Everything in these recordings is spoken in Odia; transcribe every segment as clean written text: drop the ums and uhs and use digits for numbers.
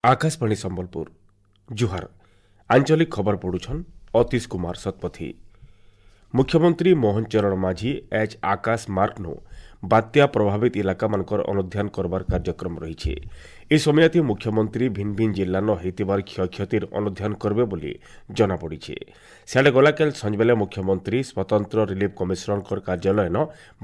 ଆକାଶବାଣୀ ସମ୍ବଲପୁର, ଜୁହାର। ଆଞ୍ଚଳିକ ଖବର ପଢୁଛନ୍ ଅତୀଶ କୁମାର ଶତପଥୀ। ମୁଖ୍ୟମନ୍ତ୍ରୀ ମୋହନ ଚରଣ ମାଝୀ ଏଚ୍ ଆକାଶ ମାର୍କନୁ ବାତ୍ୟା ପ୍ରଭାବିତ ଇଲାକାମାନଙ୍କର ଅନୁଧ୍ୟାନ କରବାର କାର୍ଯ୍ୟକ୍ରମ ରହିଛି। ଏ ସମୟତି ମୁଖ୍ୟମନ୍ତ୍ରୀ ଭିନ୍ନ ଭିନ୍ନ ଜିଲ୍ଲାନ ହେଇଥିବାର କ୍ଷୟକ୍ଷତିର ଅନୁଧ୍ୟାନ କରିବେ ବୋଲି ଜଣାପଡ଼ିଛି। ସିଆଡ଼େ ଗଲାକାଲି ସଞ୍ଜବେଲେ ମୁଖ୍ୟମନ୍ତ୍ରୀ ସ୍ୱତନ୍ତ୍ର ରିଲିଫ୍ କମିଶନରଙ୍କର କାର୍ଯ୍ୟାଳୟନ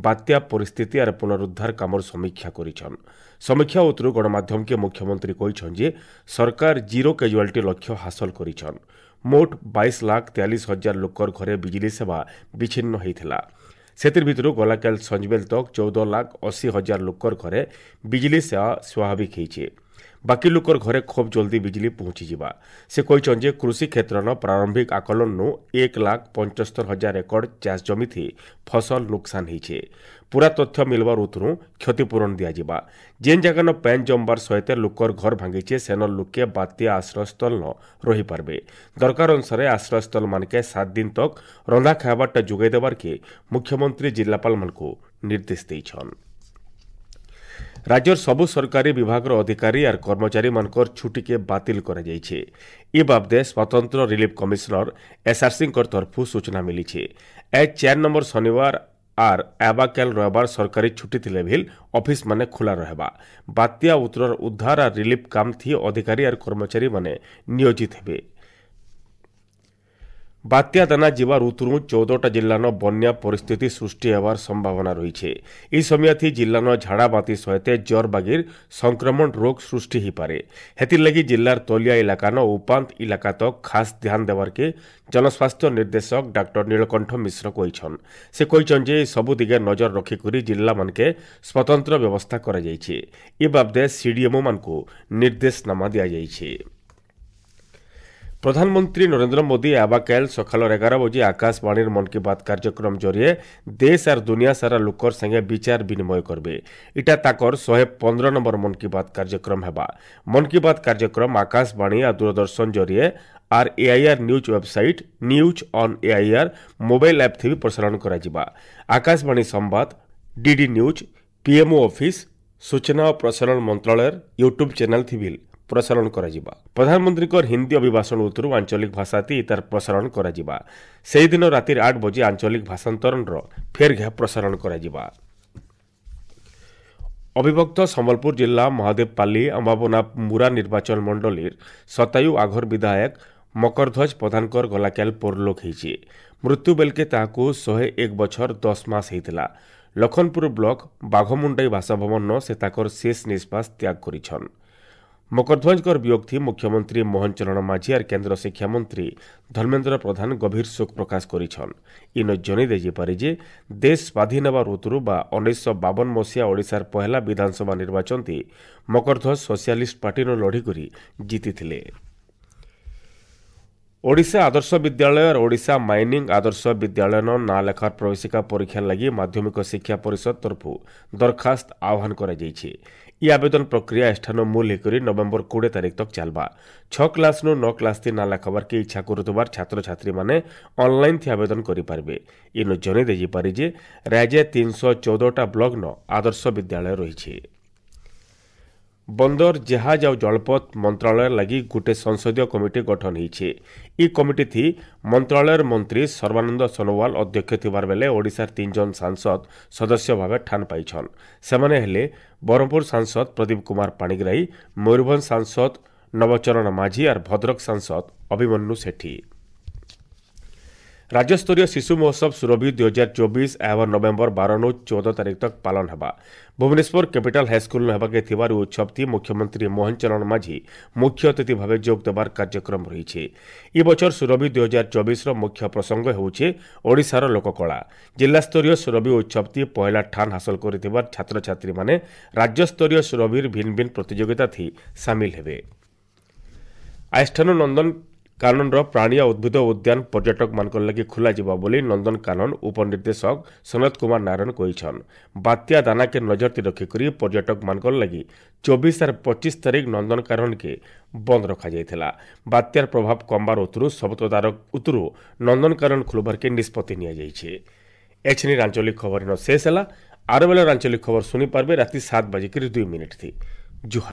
ବାତ୍ୟା ପରିସ୍ଥିତି ଆର୍ ପୁନରୁଦ୍ଧାର କାମର ସମୀକ୍ଷା କରିଛନ୍। ସମୀକ୍ଷା ଉତ୍ତରୁ ଗଣମାଧ୍ୟମକେ ମୁଖ୍ୟମନ୍ତ୍ରୀ କହିଛନ୍ ଯେ ସରକାର ଜିରୋ କାଜୁଆଲିଟି ଲକ୍ଷ୍ୟ ହାସଲ କରିଛନ୍। ମୋଟ 22,43,000 ଲୋକର ଘରେ ବିଜୁଳି ସେବା ବିଚ୍ଛିନ୍ନ ହୋଇଥିଲା। ସେଥିର୍ ଭିତରୁ ଗଲାକାଲି ସଞ୍ଜବେଲ ତକ୍ 14,80,000 ଲୋକର ଘରେ ବିଜୁଳି ସେବା ସ୍ୱାଭାବିକ ହେଇଛେ। ବାକି ଲୋକର ଘରେ ଖୁବ୍ ଜଲ୍ଦି ବିଜୁଳି ପହଞ୍ଚିଯିବା। ସେ କହିଛନ୍ତି ଯେ କୃଷି କ୍ଷେତ୍ରର ପ୍ରାରମ୍ଭିକ ଆକଳନରୁ 1,75,000 ଏକର ଚାଷ ଜମିଥି ଫସଲ ନୁକସାନ ହେଇଛେ। ପୁରା ତଥ୍ୟ ମିଲବାର ଉତରୁ କ୍ଷତିପୂରଣ ଦିଆଯିବା। ଯେନ୍ ଜାଗାନ ପାଏନ୍ ଜମବାର ସହିତ ଲୋକର ଘର ଭାଙ୍ଗିଛେ, ସେନ ଲୋକେ ବାତ୍ୟା ଆଶ୍ରୟସ୍ଥଳ ରହିପାରବେ। ଦରକାର ଅନୁସାରେ ଆଶ୍ରୟସ୍ଥଳ ମାନକେ 7 ଦିନ ତକ୍ ରନ୍ଧା ଖାଇବାରଟା ଯୋଗାଇ ଦେବାର୍କେ ମୁଖ୍ୟମନ୍ତ୍ରୀ ଜିଲ୍ଲାପାଳମାନଙ୍କୁ ନିର୍ଦ୍ଦେଶ ଦେଇଛନ୍। ରାଜ୍ୟର ସବୁ ସରକାରୀ ବିଭାଗର ଅଧିକାରୀ ଆର୍ କର୍ମଚାରୀମାନଙ୍କର ଛୁଟିକେ ବାତିଲ କରାଯାଇଛି। ଏ ବାବଦେ ସ୍ୱତନ୍ତ୍ର ରିଲିଫ୍ କମିଶନର ଏସ୍ଆର୍ସିଙ୍କର ତରଫରୁ ସୂଚନା ମିଳିଛି। ଏ 4 ନମ୍ବର ଶନିବାର ଆର୍ ଆବାକାଲ ରବିବାର ସରକାରୀ ଛୁଟି ଥିଲେ ଭିଲ୍ ଅଫିସ ମାନେ ଖୋଲା ରହିବା। ବାତ୍ୟା ଉତ୍ତରର ଉଦ୍ଧାର ଆର୍ ରିଲିଫ୍ କାମ ଥି ଅଧିକାରୀ ଆର୍ କର୍ମଚାରୀମାନେ ନିୟୋଜିତ ହେବେ। ବାତ୍ୟା ଦାନା ଯିବାର ଉତ୍ତରୁ 14ଟା ଜିଲ୍ଲାନ ବନ୍ୟା ପରିସ୍ଥିତି ସୃଷ୍ଟି ହେବାର ସମ୍ଭାବନା ରହିছে। ଏହି ସମୟଥି ଜିଲ୍ଲାନ ଝାଡ଼ା ବାନ୍ତି ସହିତ ଜର୍ ବାଗିର ସଂକ୍ରମଣ ରୋଗ ସୃଷ୍ଟି ହେଇପାରେ। ହେଥିର୍ଲାଗି ଜିଲ୍ଲାର ତଲିଆ ଇଲାକାନ ଉପାନ୍ତ ଇଲାକା ତକ୍ ଖାସ୍ ଧ୍ୟାନ ଦେବାର୍କେ ଜନସ୍ୱାସ୍ଥ୍ୟ ନିର୍ଦ୍ଦେଶକ ଡାକ୍ତର ନୀଳକଣ୍ଠ ମିଶ୍ର କହିଛନ୍। ସେ କହିଛନ୍ ଯେ ସବୁ ଦିଗେ ନଜର ରଖିକରି ଜିଲ୍ଲାମାନକେ ସ୍ୱତନ୍ତ୍ର ବ୍ୟବସ୍ଥା କରାଯାଇଛି। ଏ ବାବଦେ ସିଡିଏମ୍ଓ ମାନଙ୍କୁ ନିର୍ଦ୍ଦେଶନାମା ଦିଆଯାଇଛି। ପ୍ରଧାନମନ୍ତ୍ରୀ ନରେନ୍ଦ୍ର ମୋଦି ଆବାକାଲ ସକାଳ 11 ବଜେ ଆକାଶବାଣୀର ମନ୍ କି ବାତ୍ କାର୍ଯ୍ୟକ୍ରମ ଜରିଏ ଦେଶ ଆର୍ ଦୁନିଆ ସାରା ଲୋକର ସାଙ୍ଗେ ବିଚାର ବିନିମୟ କରବେ। ଇଟା ତାକର 115 ନମ୍ବର ମନ୍ କି ବାତ୍ କାର୍ଯ୍ୟକ୍ରମ ହେବା। ମନ୍ କି ବାତ୍ କାର୍ଯ୍ୟକ୍ରମ ଆକାଶବାଣୀ ଆଉ ଦୂରଦର୍ଶନ ଜରିଏ ଆର୍ AIR news website, news on AIR mobile app ଥି ବି ପ୍ରସାରଣ କରାଯିବା। ଆକାଶବାଣୀ ସମ୍ବାଦ, ଡିଡି ନ୍ୟୁଜ୍, ପିଏମ୍ଓ ଅଫିସ୍, ସୂଚନା ଓ ପ୍ରସାରଣ ମନ୍ତ୍ରାଳୟର ୟୁଟ୍ୟୁବ୍ ଚ୍ୟାନେଲ୍ ଥି ବି ପ୍ରସାରଣ କରାଯିବା। ପ୍ରଧାନମନ୍ତ୍ରୀଙ୍କର ହିନ୍ଦୀ ଅଭିଭାଷଣ ଉତ୍ତରୁ ଆଞ୍ଚଳିକ ଭାଷାତି ତାର ପ୍ରସାରଣ କରାଯିବା। ସେହିଦିନ ରାତିରେ 8 ବଜେ ଆଞ୍ଚଳିକ ଭାଷାନ୍ତରଣର ଫେର୍ ଘେ ପ୍ରସାରଣ କରାଯିବା। ଅବିଭକ୍ତ ସମ୍ବଲପୁର ଜିଲ୍ଲା ମହାଦେବପାଲି ଅମ୍ବାବନା ମୁରା ନିର୍ବାଚନ ମଣ୍ଡଳୀର ଶତାୟୁ ଆଘର ବିଧାୟକ ମକରଧ୍ୱଜ ପ୍ରଧାନଙ୍କର ଗଲାକାଲ ପରଲୋକ ହେଇଛି। ମୃତ୍ୟୁ ବେଲକେ ତାହାକୁ 101 ବଛର 10 ମାସ ହେଇଥିଲା। ଲଖନପୁର ବ୍ଲକ ବାଘମୁଣ୍ଡାଇ ବାସଭବନ ସେ ତାଙ୍କର ଶେଷ ନିଶ୍ୱାସ ତ୍ୟାଗ କରିଛନ୍। ମକରଧ୍ୱଜଙ୍କର ବିୟୋଗଥି ମୁଖ୍ୟମନ୍ତ୍ରୀ ମୋହନ ଚରଣ ମାଝୀ ଆର୍ କେନ୍ଦ୍ର ଶିକ୍ଷାମନ୍ତ୍ରୀ ଧର୍ମେନ୍ଦ୍ର ପ୍ରଧାନ ଗଭୀର ଶୋକ ପ୍ରକାଶ କରିଛନ୍। ଇନ ଜଣାଇ ଦେଇପାରେ ଯେ ଦେଶ ସ୍ୱାଧୀନ ହେବାର ଋତୁରୁ ବା 1952 ମସିହା ଓଡ଼ିଶାର ପହେଲା ବିଧାନସଭା ନିର୍ବାଚନତି ମକରଧ୍ୱଜ ସୋସିଆଲିଷ୍ଟ ପାର୍ଟିର ଲଢ଼ିକରି ଜିତିଥିଲେ। ଓଡ଼ିଶା ଆଦର୍ଶ ବିଦ୍ୟାଳୟ ଆର୍ ଓଡ଼ିଶା ମାଇନିଂ ଆଦର୍ଶ ବିଦ୍ୟାଳୟନ ନାଁ ଲେଖାର ପ୍ରବେଶିକା ପରୀକ୍ଷା ଲାଗି ମାଧ୍ୟମିକ ଶିକ୍ଷା ପରିଷଦ ତରଫରୁ ଦରଖାସ୍ତ ଆହ୍ୱାନ କରାଯାଇଛି। ଇ ଆବେଦନ ପ୍ରକ୍ରିୟା ଏଠାନ ମୂଲ ହେଇକରି ନଭେମ୍ବର 20 ତାରିଖ ତକ୍ ଚାଲବା। 6 କ୍ଲାସ୍ନୁ 9 କ୍ଲାସ୍ ଥି ନାଁ ଲେଖାବାର୍କେ ଇଚ୍ଛା କରୁଥିବାର ଛାତ୍ରଛାତ୍ରୀମାନେ ଅନଲାଇନ୍ ଥି ଆବେଦନ କରିପାରିବେ। ଇନୁ ଜଣାଇ ଦେଇପାରେ ଯେ ରାଜ୍ୟ 314ଟା ବ୍ଲକ୍ନ ଆଦର୍ଶ ବିଦ୍ୟାଳୟ ରହିଛି। ବନ୍ଦର, ଜାହାଜ ଆଉ ଜଳପଥ ମନ୍ତ୍ରାଳୟ ଲାଗି ଗୋଟେ ସଂସଦୀୟ କମିଟି ଗଠନ ହେଇছে। ଇ କମିଟି ଥି ମନ୍ତ୍ରାଳୟର ମନ୍ତ୍ରୀ ସର୍ବାନନ୍ଦ ସୋନୋୱାଲ ଅଧ୍ୟକ୍ଷ ଥିବାର ବେଲେ ଓଡ଼ିଶାର 3 ଜଣ ସାଂସଦ ସଦସ୍ୟ ଭାବେ ଠାନ ପାଇଛନ୍। ସେମାନେ ହେଲେ ବ୍ରହ୍ମପୁର ସାଂସଦ ପ୍ରଦୀପ କୁମାର ପାଣିଗ୍ରାହୀ, ମୟୂରଭଞ୍ଜ ସାଂସଦ ନବଚରଣ ମାଝୀ ଆର୍ ଭଦ୍ରକ ସାଂସଦ ଅଭିମନ୍ୟୁ ସେଠୀ। ରାଜ୍ୟସ୍ତରୀୟ ଶିଶୁ ମହୋତ୍ସବ ସୁରଭି 2024 ଏହା ନଭେମ୍ବର 12 14 ତାରିଖ ତକ୍ ପାଳନ ହେବା। ଭୁବନେଶ୍ୱର କ୍ୟାପିଟାଲ ହାଇସ୍କୁଲ ହେବାକେ ଥିବାର ଉତ୍ସବଟି ମୁଖ୍ୟମନ୍ତ୍ରୀ ମୋହନ ଚରଣ ମାଝୀ ମୁଖ୍ୟ ଅତିଥି ଭାବେ ଯୋଗ ଦେବାର କାର୍ଯ୍ୟକ୍ରମ ରହିଛି। ଏ ବଛର ସୁରଭି 2024ର ମୁଖ୍ୟ ପ୍ରସଙ୍ଗ ହେଉଛି ଓଡ଼ିଶାର ଲୋକକଳା। ଜିଲ୍ଲାସ୍ତରୀୟ ସୁରଭି ଉତ୍ସବଟି ପହିଲା ଠାନ ହାସଲ କରିଥିବା ଛାତ୍ରଛାତ୍ରୀମାନେ ରାଜ୍ୟସ୍ତରୀୟ ସୁରଭିର ଭିନ୍ନ ଭିନ୍ନ ପ୍ରତିଯୋଗିତା ଥି ସାମିଲ ହେବେ। ଆଇଷ୍ଠାନୁ ନନ୍ଦନ କାନନର ପ୍ରାଣୀ ଆଉ ଉଦ୍ଭିଦ ଉଦ୍ୟାନ ପର୍ଯ୍ୟଟକମାନଙ୍କ ଲାଗି ଖୋଲାଯିବ ବୋଲି ନନ୍ଦନକାନନ ଉପନିର୍ଦ୍ଦେଶକ ସନତ କୁମାର ନାରାୟଣ କହିଛନ୍। ବାତ୍ୟା ଦାନାକେ ନଜରତି ରଖିକରି ପର୍ଯ୍ୟଟକମାନଙ୍କ ଲାଗି 24 ଆର୍ 25 ତାରିଖ ନନ୍ଦନକାନନକେ ବନ୍ଦ ରଖାଯାଇଥିଲା। ବାତ୍ୟାର ପ୍ରଭାବ କମବାର ଉତ୍ତରୁ ସବୁ ତଦାରଖ ଉତ୍ତରୁ ନନ୍ଦନକାନନ ଖୋଲବାର୍କେ ନିଷ୍ପତ୍ତି ନିଆଯାଇଛି। ଏଛିନି ଆଞ୍ଚଳିକ ଖବର ଶେଷ ହେଲା। ଆର ବେଳର ଆଞ୍ଚଳିକ ଖବର ଶୁଣିପାରିବେ ରାତି 7:02 ଥି। ଜୁହାର।